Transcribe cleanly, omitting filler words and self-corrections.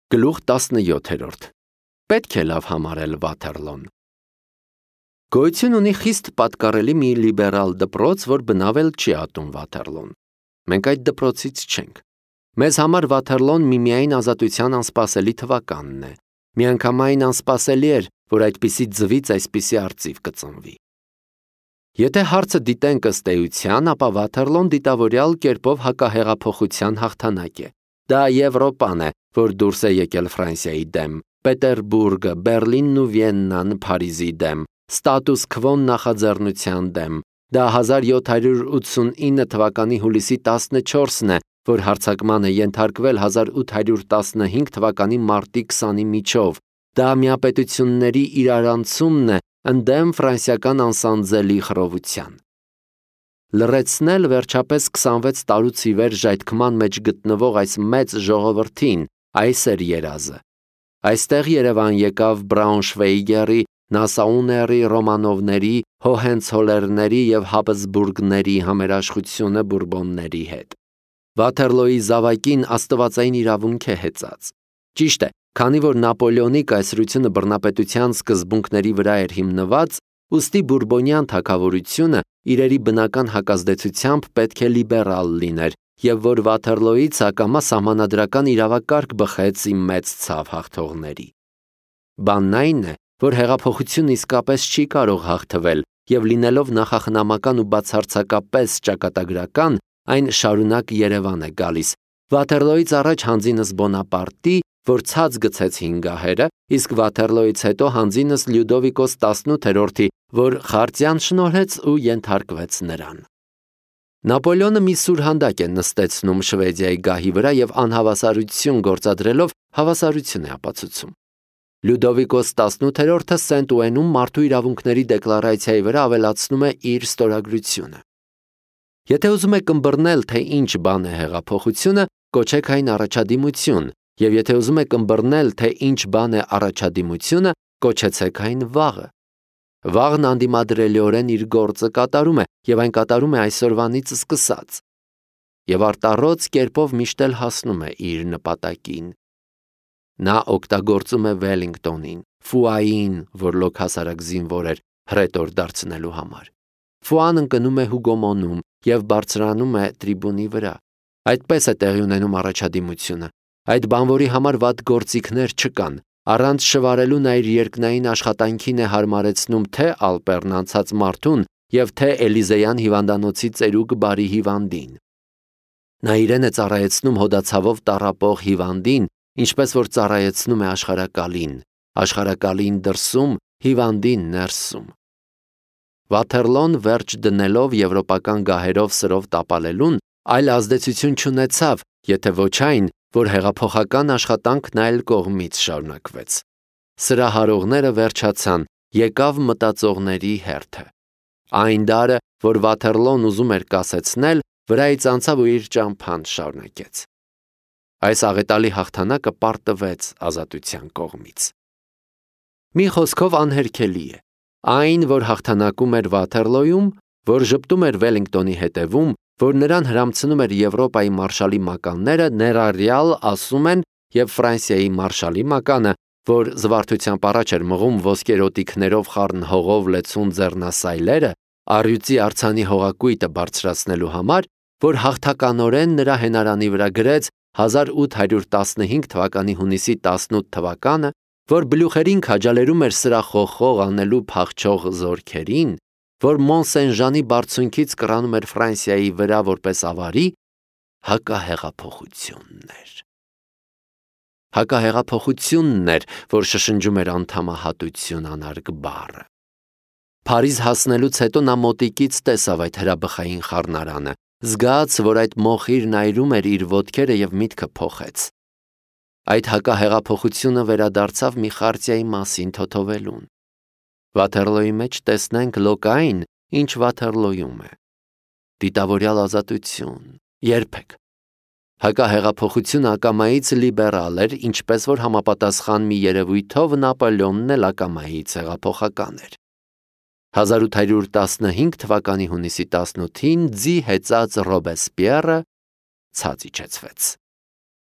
Գլուխ 17. Պետք է լավ համարել Վաթերլոն։ Գոյություն ունի խիստ պատկառելի մի լիբերալ դպրոց, որ բնավել չի ատում Վաթերլոն։ Մենք այդ դպրոցից չենք։ Մեզ համար Վաթերլոն միմիայն ազատության անսպասելի թվականն է։ Միանգամայն անսպասելի էր, որ այդպիսի ձվից այսպիսի արծիվ կծնվի։ Եթե հարցը դիտենք ըստ էության, ապա Վաթերլոն դիտավորյալ կերպով հակահեղափոխության հաղթանակ է։ Դա Եվրոպան է, որ դուրս է եկել Ֆրանսիայի դեմ, Պետերբուրգը, Բերլինն ու Վիեննան Փարիզի դեմ, ստատուս քվոն նախաձեռնության դեմ։ Դա 1789 թվականի հուլիսի 14-ն է, որ հարձակման է ենթարկվել 1815 թվականի մարտի 20-ի միջով։ Դա միապետությունների իրարանցումն է ընդդեմ ֆրանսիական անսանձելի խռովության։ Լրացնել վերջապես 26 տարուց ի վեր ժայթքման մեջ գտնվող այս մեծ ժողովրդին, այս էր երազը։ Այստեղ Երևան եկավ Բրաունշվեիգերի, Նասաուների, Ռոմանովների, Հոհենցոլերների և Հաբսբուրգների համերաշխությունը բուրբոնների հետ։ Վաթերլոյի զավակին աստվածային իրավունք է հեծած։ Ճիշտ է, քանի որ Նապոլեոնի կայսրությունը բռնապետության սկզբունքների վրա էր հիմնված, ուստի բուրբոնյան թագավորությունը իրերի բնական հակազդեցությամբ պետք է լիբերալ լիներ, և որ Վաթերլոյից ակամա սահմանադրական իրավակարգ բխեց ի մեծ ցավ հաղթողների։ Բանն այն է, որ հեղափոխությունը իսկապես չի կարող հաղթվել, և լինելով նախախնամական ու բացարձակապես ճակատագրական, այն շարունակ Երևան է գալիս։ Վաթերլոյից առաջ հանձինս Բոնապարտի, որ ցած գցեց հինգահերը, իսկ Վաթերլոյից հետո հանձինս Լյուդովիկոս 18-րդի, որ խարտիան շնորհեց ու ենթարկվեց նրան։ Նապոլեոնը մի սուրհանդակ է նստեցնում Շվեդիայի գահի վրա և անհավասարություն գործադրելով հավասարություն է ապացուցում։ Լյուդովիկոս 18-րդը Սենտ Ուենում մարդու իրավունքների դեկլարացիայի վրա ավելացնում է իր ստորագրությունը։ Եթե ուզում եք ըմբռնել, թե ինչ բան է հեղափոխությունը, կոչեք այն առաջադիմություն, և եթե ուզում եք ըմբռնել, թե ինչ բան է առաջադիմությունը, կոչեցեք այն վաղը։ Վաղն անդիմադրելիորեն իր գործը կատարում է, և այն կատարում է այսօրվանից սկսած։ Եվ արտառոց կերպով միշտ էլ հասնում է իր նպատակին։ Նա օգտագործում է Վելինգտոնին, Ֆուային, որ լոկ հասարակ զինվոր էր, հռետոր դարձնելու համար։ Ֆուան ընկնում է Հուգոմոնում և բարձրանում է տրիբունի վրա։ Այդպես է տեղի ունենում առաջադիմությունը։ Այդ բանվորի համար վատ գործիքներ չկան։ Առանց շվարելու նա իր երկնային աշխատանքին է հարմարեցնում թե Ալպերն անցած մարդուն և թե Էլիզեյան հիվանդանոցի ծերուկ բարի հիվանդին։ Նա իրեն է ծառայեցնում հոդացավով տառապող հիվանդին, ինչպես որ ծառայեցնում է աշխարհակալին դրսում, հիվանդին ներսում։ Վաթերլոն վերջ դնելով եվրոպական գահերով սրով տապալելուն, այլ ազդեցություն չունեցավ, եթե ոչ այն, որ հեղափոխական աշխատանքն այլ կողմից շարունակվեց։ Սրահարողները վերջացան, եկավ մտածողների հերթը։ Այն դարը, որ Վաթերլոն ուզում էր կասեցնել, վրայից անցավ ու իր ճամփան շարունակեց։ Այս աղետալի հաղթանակը պարտվեց ազատության կողմից։ Մի խոսքով անհերքելի է։ Այն, որ հաղթանակում էր Վաթերլոյում, որ ժպտում էր Վելինգտոնի հետևում, որ նրան հրամցնում էր Եվրոպայի մարշալի մականները, ներառյալ ասում են և Ֆրանսիայի մարշալի մականը, որ զվարթությամբ առաջ էր մղում ոսկերոտիքներով խառն հողով լեցուն ձեռնասայլերը, առյուծի արձանի հողակույտը բարձրացնելու համար, որ հաղթականորեն նրա հենարանի վրա գրեց 1815 թվականի հունիսի 18 թվականը, որ բլյուխերին քաջալերում էր սրախոխող անելու փախչող զորքերին, որ Մոնսեն-Ժանի բարձունքից կռանում էր Ֆրանսիայի վրա որպես ավարի, հակահեղափոխությունն էր։ Հակահեղափոխությունն էր, որ շշնջում էր անդամահատություն անարգ բառը։ Փարիզ հասնելուց հետո նա մոտիկից տեսավ այդ հրաբխային խառնարանը, զգաց, որ այդ մոխիրն այրում էր իր ոտքերը և միտքը փոխեց։ Այդ հակահեղափոխությունը վերադարձավ մի խարտիայի մասին թոթովելուն։ Վաթերլոյի մեջ տեսնենք լոկային, ինչ Վաթերլոյում է։ Դիտավորյալ ազատություն, երբեք։ Հակահեղափոխությունը ակամայից լիբերալ էր, ինչպես որ համապատասխան մի երևույթով Նապոլեոնն էլ ակամայից հեղափոխական էր։ 1815 թվականի հունիսի 18-ին ձի հեծած Ռոբեսպիերը ցած իջեցվեց։